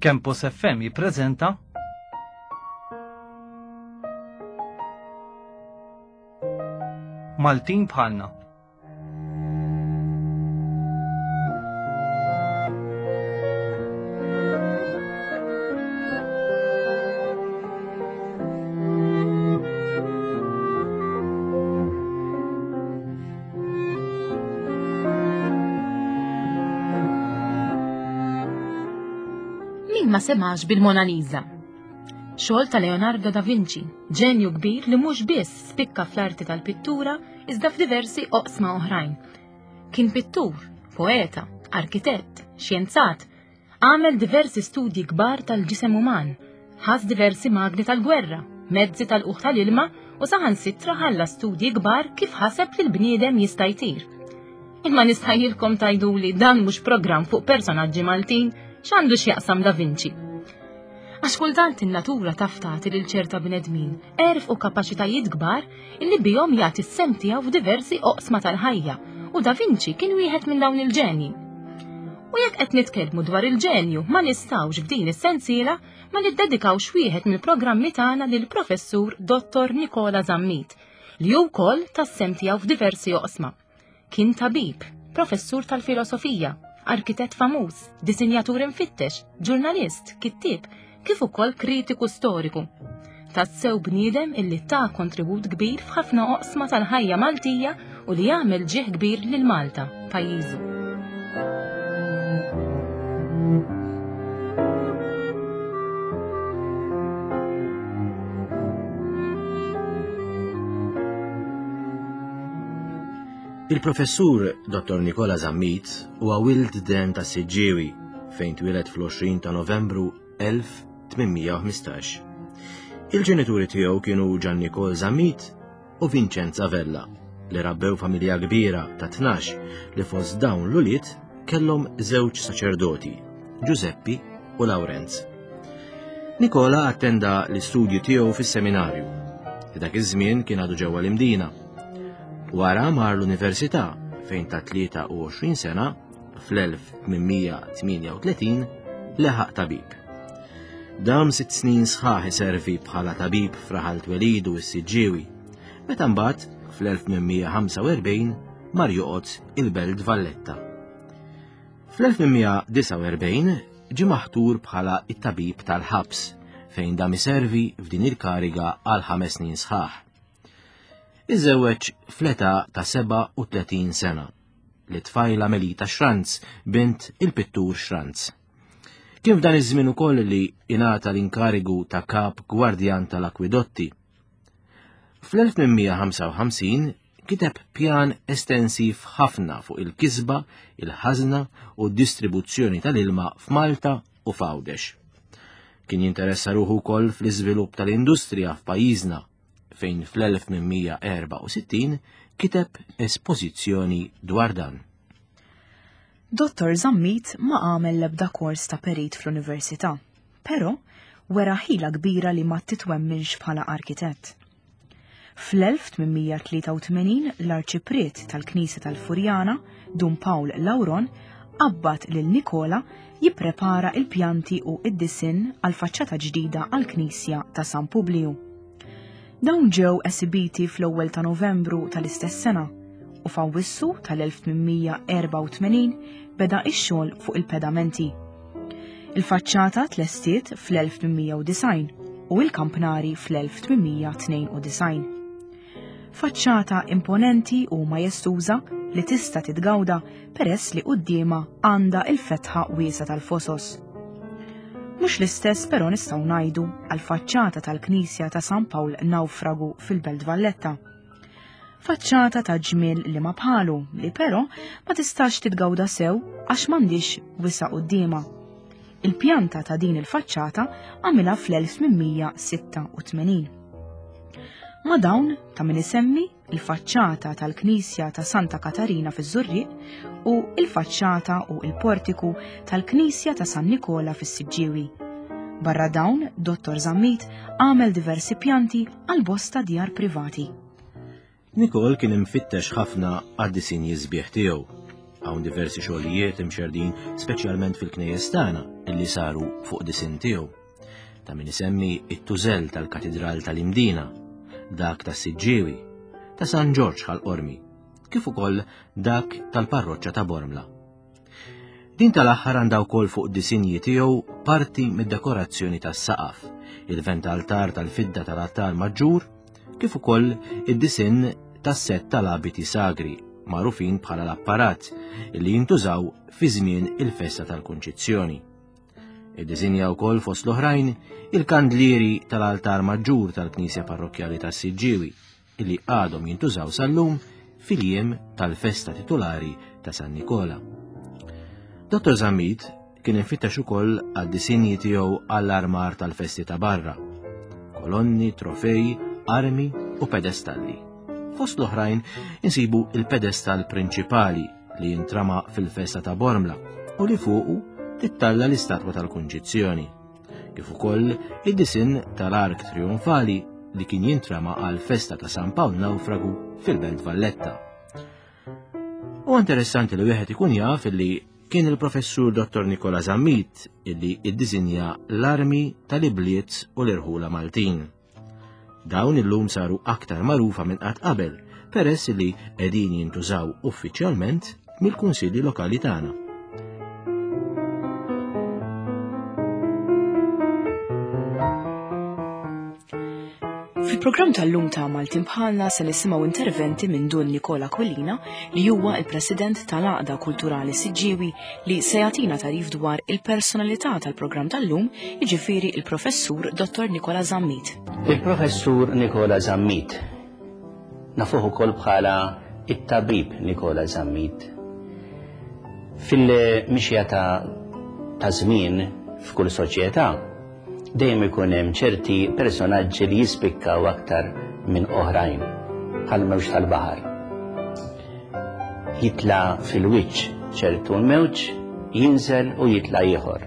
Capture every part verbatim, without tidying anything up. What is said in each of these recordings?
Campus F M jippreżenta Maltin Bħalna. Min ma semax bil-Mona Lisa? Xogħol ta' Leonardo da Vinci, ġenju kbir li mhux biss spikka fl-arti tal-pittura iżda f'diversi oqsma oħrajn. Kien pittur, poeta, arkitett, xjenzat, għamel diversi studji kbar tal-ġisem uman, ħass diversi magni tal-gwerra, mezzi tal-uħ tal-ilma u saħansitra ħalla studji kbar kif ħaseb li l-bniedem jista' jtir. Imma nistħajjilkom tgħiduli, dan mhux programm fuq personaġġi Maltin, x'għandu x'jaqsam Da Vinci? Għax kultant in-natura taf tagħti lil ċerta bnedmin għerf u kapaċitajiet kbar illi bihom jagħti s-sehem tiegħu f'diversi oqsma tal-ħajja, u Da Vinci kien wieħed minn dawn il-ġenji. U jekk qed nitkellmu dwar il-ġenju, ma nistgħux f'din is-sensiela ma niddedikawx wieħed mill-programmi tagħna lil professur Dottor Nikola Zammit, li hu wkoll ta s-sehem tiegħu f'diversi oqsma. Kien tabib, professur tal-filosofija, arkitett famuż, disinjatur imfittex, ġurnalist, kittieb, kif ukoll kritiku storiku. Tassew bniedem illi ta' kontribut kbir f'ħafna oqsma tal-ħajja Maltija u li jagħmel ġieħ kbir lil Malta, pajjiżu. Il-professur Dottor Nikola Zammit huwa wild den ta' Siġġiewi, fejn twieled fl-għoxrin ta' Novembru elf tmien mija u ħmistax. Il-ġenituri tiegħu kienu Gian Nikol Zammit u Vincenza Vella, li rabbew familja kbira ta' tnax, li fost dawn l-ulied kellhom żewġ saċerdoti, Giuseppi u Lawrenz. Nikola attenda l-istudju tiegħu fis-seminarju, li dak iż-żmien kien għadu ġewwa l-Imdina. Wara mar l-università, fejn ta' tlieta u għoxrin sena fl-elf tmien mija tmienja u tletin leħaq tabib. Dam sitt snin sħaħ iservi bħala tabib f'raħal twelidu s-Siġġiewi, meta mbagħad fl-elf tmien mija ħamsa u erbgħin mar joqgħod il-Belt Valletta. Fl-elf tmien mija disgħa u erbgħin ġie maħtur bħala it-tabib tal-ħabs, fejn dam iservi f'din il-kariga għal ħames snin sħaħ. Iżewweġ fl-età ta' sebgħa u tletin sena li tfajla Melita Schranz, bint il-pittur Schranz. Kien f'dan iż-żmien ukoll li ingħata l-inkarigu ta' kap gwardjan tal-akwidotti. Fl-elf tmien mija ħamsa u ħamsin kiteb pjan estensiv ħafna fuq il-kisba, il-ħażna u d-distribuzzjoni tal-ilma f'Malta u f'Għawdex. Kien jinteressa ruħu wkoll fl-iżvilupp tal-industrija f'pajjiżna, fejn fl-elf tmien mija erbgħa u sittin kiteb espożizzjoni dwar dan. Dottor Zammit ma għamel l-ebda kors ta' perit fl-università, però wera ħila kbira li ma titwemminx bħala arkitett. Fl-elf tmien mija tlieta u tmenin l-arċipriet tal-Knisja tal-Furjana, Dun Pawl Lauron, qabbad lil Nikola jipprepara il-pjanti u id-disin għal faċċata ġdida għal-Knisja ta' San Publiju. Dawn ġew esibiti fl-ewwel ta' Novembru tal-istess sena u f'Awwissu tal-elf tmien mija erbgħa u tmenin beda ix-xogħol fuq il-pedamenti. Il-faċċata tlestiet fl-elf tmien mija disgħin u il-kampnari fl-elf tmien mija tnejn u disgħin. Faċċata imponenti u majestuża li tista' titgawda peress li quddiemha għandha il-fetħa wiesa tal-Fosos. Mhux l-istess però nistgħu ngħidu għal faċċata tal-Knisja ta' San Pawl Naufragu fil-Belt Valletta. Faċċata ta' ġmiel li ma bħalu, li però ma tistax titgawda sew għax m'għandix wisa quddiemha. Il-pjanta ta' din il-faċċata għamilha fl-elf tmien mija sitta u tmenin. Ma' dawn ta' min isemmi il-faċċata tal-Knisja ta' Santa Katarina fiż-Żurrieq u il-faċċata u il-portiku tal-Knisja ta' San Nikola fis-Siġġiewi. Barra dawn, Dottor Zammit għamel diversi pjanti għal bosta djar privati. Nikol kien imfittex ħafna għad-disinji sbieħ tiegħu. Hawn diversi xogħlijiet imxerdin speċjalment fil-knejjes tagħna illi saru fuq disinn tiegħu. Ta' min isemmi it-tużell tal-Katidral tal-Imdina, dak tas-Siġġiewi, ta' San Ġorġ Ħal-Qormi, kif ukoll dak tal-parroċċa ta' Bormla. Din tal-aħħar għandha wkoll fuq disinji tiegħu parti mid-dekorazzjoni tas-saqaf, il-ventaltar tal-fidda tal-altar maġġur, kif ukoll id-disinn tas-sett tal-abiti sagri magħrufin bħala l-apparat li jintużaw fi żmien il-festa tal-Kunċizzjoni. Iddisinja wkoll fost l-oħrajn il-kandlieri tal-altar maġġur tal-Knisja Parrokkjali tas-Siġġiewi illi għadhom jintużaw sal-lum fil-jiem tal-festa titulari ta' San Nikola. Dottor Zammit kien infittex ukoll għad-disinji tiegħu għall-armar tal-festi ta' barra, kolonni, trofej, armi u pedestalli. Fost l-oħrajn insibu il-pedestal prinċipali li jintrama fil-festa ta' Bormla u li fuqu tittalla l-istatwa tal-Kunċizzjoni, kif ukoll id-disinn tal-ark trionfali li kien jintrama għal festa ta' San Pawl Naufragu fil-Belt Valletta. U interessanti li wieħed ikun jaf li kien il-professur Dottor Nikola Zammit illi iddisinja l-armi tal-ibliet u l-irħula Maltin. Dawn illum saru aktar magħrufa minn qatt qabel peress li qegħdin jintużaw uffiċjalment mill-kunsilli lokali tagħna. Fil-programm tal-lum ta' Maltin Bħalna se nisimgħu interventi minn Dun Nikola Aquilina li huwa il-President tal-Għaqda Kulturali Siġġiewi li se jagħtina tagħrif dwar il-personalità tal-programm tal-lum, jiġifieri il-Professur Dottor Nikola Zammit. Il-Professur Nikola Zammit nafuh ukoll bħala it-tabib Nikola Zammit. Fil-mixja ta' ta' żmien f'kull soċjetà dejjem ikun hemm ċerti personaġġi li jispikkaw aktar minn oħrajn, bħal mewġ tal-baħar. Jitla' fil-wiċċ ċertu mewġ, jinżel u jitla' ieħor.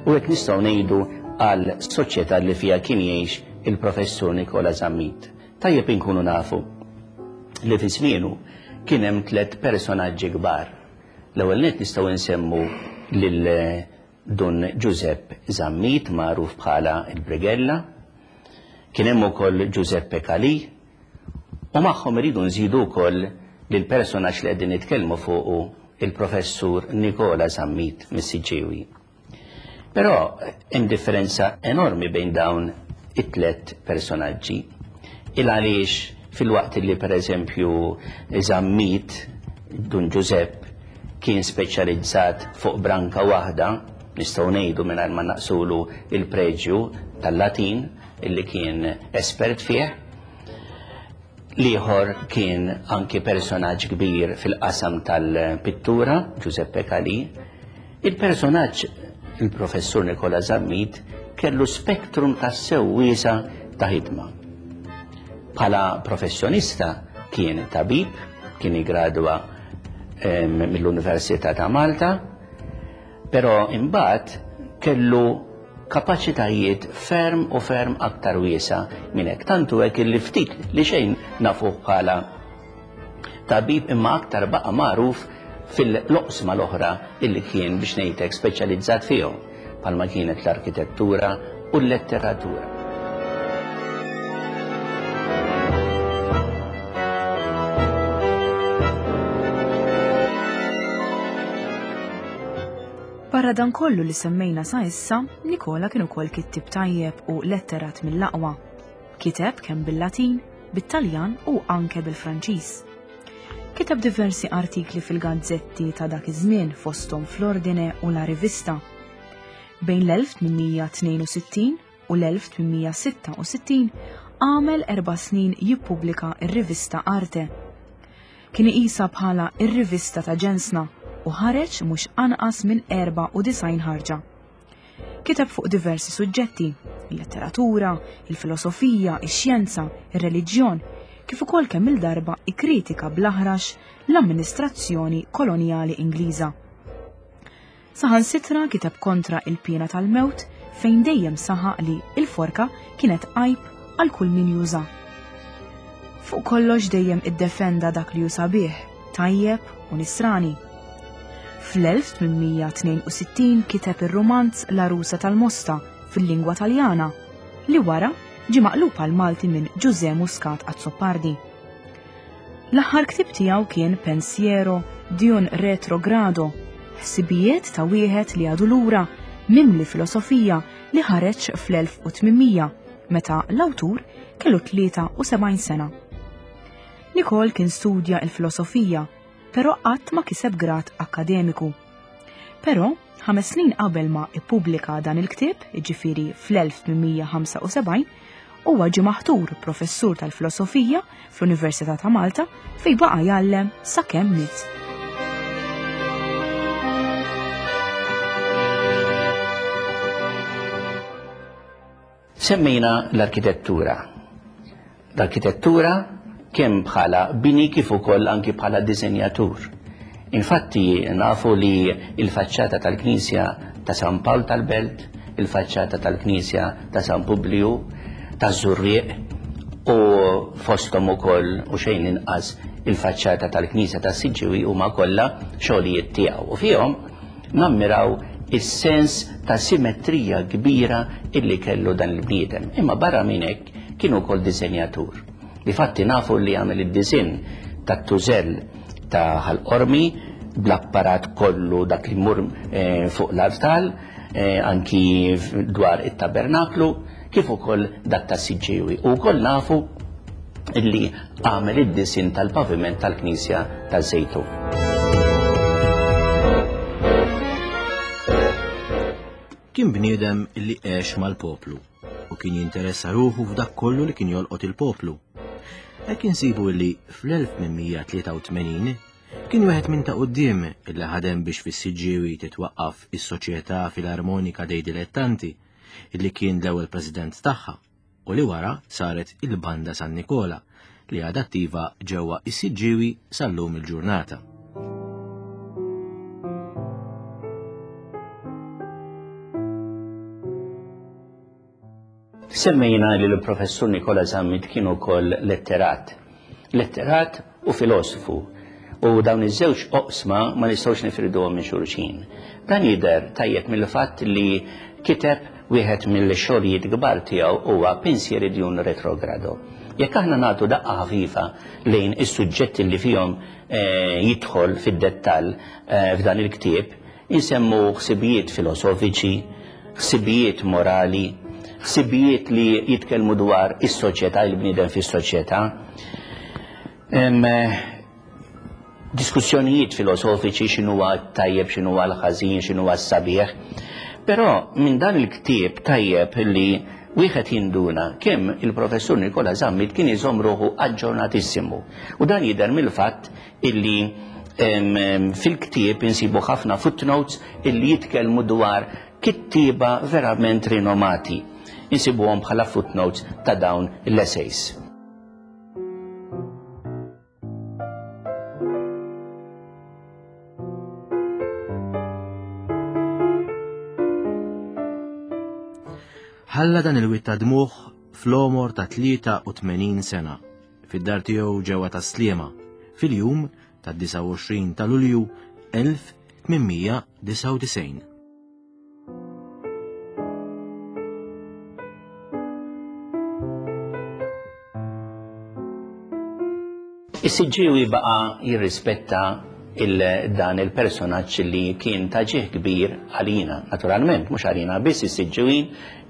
U hekk nistgħu ngħidu għal soċjetà li fiha kien jgħix il-Professur Nikola Zammit. Tajjeb inkunu nafu li fi żmienu kien hemm tliet personaġġi kbar. L-ewwel nett nistgħu nsemmu lil Dun Giuseppe Zammit, magħruf bħala il-Brigella, kien hemm ukoll Giuseppe Calì, u magħhom iridu nżidu wkoll lil personaġġ li qegħdin nitkellmu fuqu, il-Professur Nikola Zammit mis-Siġġiewi. Però hemm differenza enormi bejn dawn it-tliet personaġġi. Il għaliex fil-waqt li pereżempju Zammit, Dun Giuseppe, kien speċjalizzat fuq branka waħda, nistgħu ngħidu mingħajr ma naqsulu il-preġju tal-Latin illi kien espert fih. L-ieħor kien anki personaġġ kbir fil-qasam tal-pittura, Giuseppe Calì. Il-personaġġ, il-Professur Nikola Zammit, kellu spektrum tassew wiesa' ta' ħidma. Bħala professjonista kien tabib, kien iggradwa, ehm, mill-Università ta' Malta, però imbagħad kellu kapaċitajiet ferm u ferm aktar wiesa' minn hekk. Tantu hekk illi ftit li xejn nafuh bħala tabib imma aktar baqa' magħruf fil-loqsma l-oħra illi kien biex ngħidlek speċjalizzat fihom, bħalma kienet l-arkitettura u l-letteratura. Barra dan kollu li semmejna sa issa, Nikola kien ukoll kittib tajjeb u letterat mill-aqwa. Kiteb kemm bil-Latin, bit-Taljan u anke bil-Franċiż. Kiteb diversi artikli fil-gazzetti ta' dak iż-żmien fosthom fl-Ordine u la Rivista. Bejn l-elf tmien tnejn u sittin u l-elf tmien sitta u sittin għamel erba' snin jippubblika r-rivista Arte. Kien iqisha bħala r-rivista ta' ġensna u ħareġ mhux anqas minn erba' u disgħin ħarġa. Kiteb fuq diversi suġġetti, il-letteratura, il-filosofija, ix-xjenza, ir-reliġjon, kif ukoll kemm il-darba ikkritika bl-aħrax l-amministrazzjoni kolonjali Ingliża. Saħansitra kiteb kontra il-pena tal-mewt fejn dejjem saħaq li il-forka kienet għajb għal kull min juża. Fuq kollox dejjem iddefenda dak li hu sabiħ, tajjeb u nisrani. Fl-elf tmien mija tnejn u sittin kiteb ir-romanz L-Għarusa tal-Mosta fil-lingwa Taljana, li wara ġie maqlub għal Malti minn Ġużè Muscat Azzopardi. L-aħħar ktieb tiegħu kien Pensiero di un Retrogrado, ħsibijiet ta' wieħed li għadu lura, mimli filosofija, li ħareġ fl-elf u tmien mija meta l-awtur kellu tlieta u sebgħin sena. Nikol kien studja il-filosofija, però qatt ma kiseb grad akkademiku. Però, ħames snin qabel ma ippubblika dan il-ktieb, jiġifieri fl-elf tmien mija ħamsa u sebgħin, huwa ġie maħtur professur tal-filosofija fl-Università ta' Malta fejn baqa' jgħallem sakemm miet. Semmejna l-arkitettura. L-arkitettura kemm bħala bini kif ukoll anki bħala disenjatur. Infatti nafu li il-faċċata tal-Knisja ta' San Pawl tal-Belt, il-faċċata tal-Knisja ta' San Publiju, ta' Żurrieq u fosthom ukoll u xejn inqas il-faċċata tal-Knisja ta' Siġġiewi huma kollha xogħlijiet tiegħu. U fihom nammiraw is-sens ta' simetrija kbira illi kellu dan il-bniedem. Imma barra minn hekk kien ukoll disenjatur. Difatti nafu li għamel id-disinn tat-tużell ta' Ħal Qormi bl-apparat kollu dak li mur, eh, fuq l-artal, eh, anki dwar it-tabernaklu, kif ukoll dak ta' Siġġiewi. U wkoll nafu illi għamel id-disinn tal-paviment tal-Knisja taż-Żejtun. Kien bniedem illi għex mal-poplu u kien jinteressa ruħu f'dak kollu li kien jolqot il-poplu. Hekk insibu illi fl-elf tmien mija tlieta u tmenin kien wieħed minn ta' quddiem illi ħadem biex fis-Siġġiewi titwaqqaf is-Soċjetà Filarmonika dei Dilettanti, illi kien l-ewwel president tagħha u li wara saret il-Banda San Nikola li għadha attiva ġewwa is-Siġġiewi sal-lum il-ġurnata. Semmejna li l-professur Nikola Zammit kien ukoll letterat. Letterat u filosofu. U dawn iż-żewġ oqsma ma nistgħux nifriduhom minn xulxin. Dan jidher tajjeb mill-fatt li kiteb wieħed mill-xogħlijiet kbar tiegħu huwa Pensieri di un Retrogrado. Jekk aħna nagħtu daqqa ħafifa lejn is-suġġetti li fihom, eh, jidħol fid-dettall, eh, f'dan il-ktieb, insemmu ħsibijiet filosofiċi, ħsibijiet morali, ħsibijiet li jitkellmu dwar is-soċjetà, il-bniedem fis-soċjetà. Em, diskussjonijiet filosofiċi x'inhuwa tajjeb, x'inhuwa l-ħażin, x'inhuwa s-sabiħ. Però minn dan il-ktieb tajjeb li wieħed jinduna kemm il-professur Nikola Zammit kien iżomm ruħu aġġornatissimu. U dan jidher mill-fatt illi, em, em, fil-ktieb insibu ħafna footnotes illi jitkellmu dwar kittieba verament rinomati. Insibuhom bħala footnotes ta' dawn l-essays. Ħalla dan il-wied ta' dmuħ fl-għomor ta' tlieta u tmenin sena fid-dar tiegħu ġewwa ta' Sliema fil-jum ta' disgħa u għoxrin ta' Lulju elf tmien mija disgħa u disgħin. Is-Siġġiewi baqa' jirrispetta il-, dan il-personaġġ li kien ta' ġieħ kbir għalina, naturalment, mhux għalina biss is-Siġġiwin,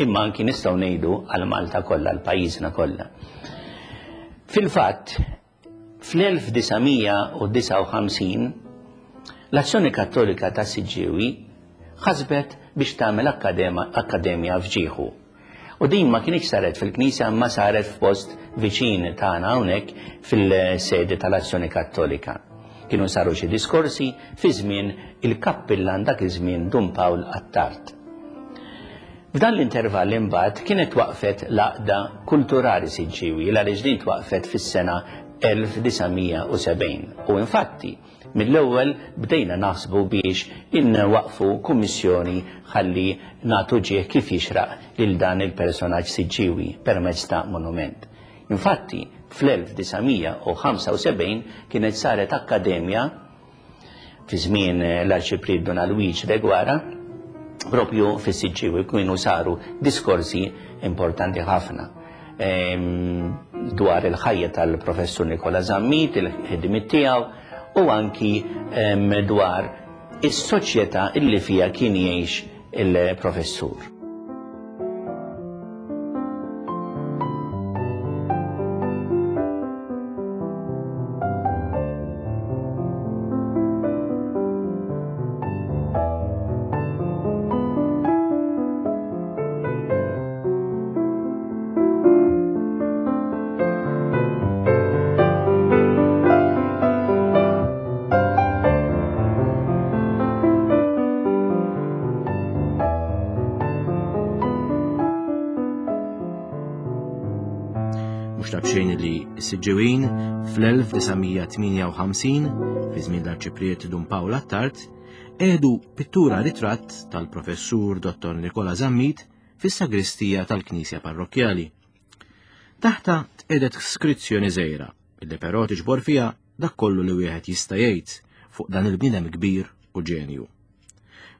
imma anki nistgħu ngħidu għal Malta kollha, għal pajjiżna kollha. Fil-fatt, fl-elf disa' mija u disgħa u ħamsin, l-Azzjoni Kattolika ta' Siġġiewi ħasbet biex tagħmel akkadema-, akkademja f'ġieħu. U din ma kienx saret fil-Knisja, ma saret f'post viċin tagħna hawnhekk fil-sede tal-Azzjoni Kattolika. Kienu saru xi diskorsi fi żmien il-kappillan dak iż-żmien Dun Pawl Attard. F'dan l-intervall imbagħad kienet waqfet l-Għaqda Kulturali Siġġiewi, għaliex din twaqfet fis-sena elf disa' mija u sebgħin. U infatti, mill-ewwel bdejna naħsbu biex inwaqfu kummissjoni ħalli nagħtu ġieħ kif jixraq lil dan il-personaġġ Siġġiewi permezz ta' monument. Infatti, fl-elf disa' mija u ħamsa u sebgħin kienet saret akkademja fi żmien l-Arċipriet Dun Alwiġ Deguara, propju fis-Siġġiewi kienu saru diskorsi importanti ħafna dwar il-ħajja tal-professur Nikola Zammit, il-ħidmiet tiegħu u anki dwar is-soċjetà illi fiha kien jgħix il-professur. Mhux ta' b'xejn li s-Siġġiwin fl-elf disa' mija tmienja u ħamsin, fi żmien l-Arċipriet Dun Pawl Attard, qiegħdu pittura ritratt tal-professur Dottor Nikola Zammit fis-sagristija tal-Knisja Parrokkjali. Taħta tqiegħdet skrizzjoni żgħira, illi però tiġbor fiha dak kollu li wieħed jista' jgħid fuq dan il-bniedem kbir u ġenju.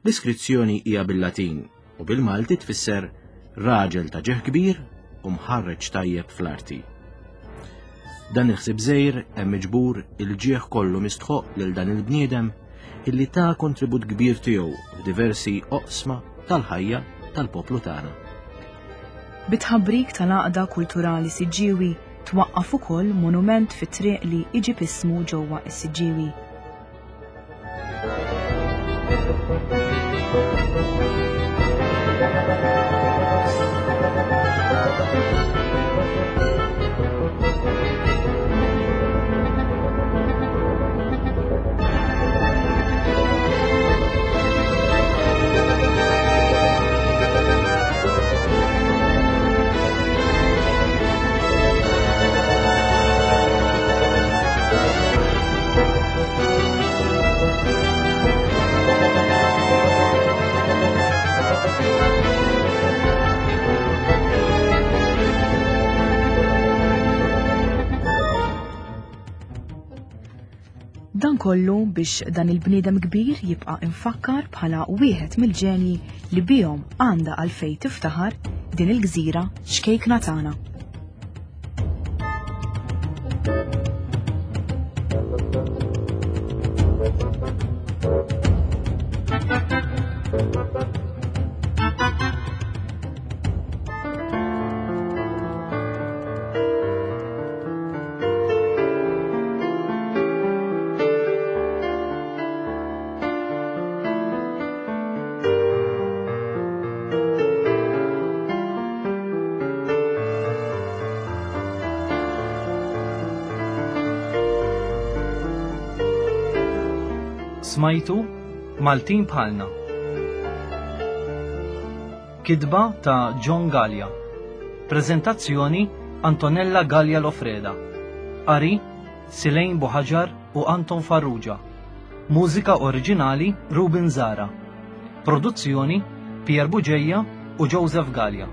L-iskrizzjoni hija bil-Latin u bil-Malti tfisser raġel ta' ġieħ kbir u mħarreġ tajjeb fl-arti. Dan il-ħsieb żgħir hemm miġbur il-ġieħ kollu mistħoq lil dan il-bniedem illi ta' kontribut kbir tiegħu f'diversi oqsma tal-ħajja tal-poplu tagħna. Bit-tħabbrik tal-Għaqda Kulturali Siġġiewi twaqqaf ukoll monument fit-triq li iġib ismu ġewwa s-Siġġiewi. Dan kollu biex dan il-bniedem kbir jibqa' infakkar bħala wieħed mill-ġenji li bihom għandha għalfejn tiftaħar din il-gżira xkejkna tagħna. Smajtu Maltin Bħalna. Kitba ta' John Gallia. Prezentazzjoni Antonella Gallia Lofreda. Qari Silejn Buħaġar u Anton Farrugia. Mużika oriġinali Ruben Zara. Produzzjoni Pier Bugeja u Joseph Gallia.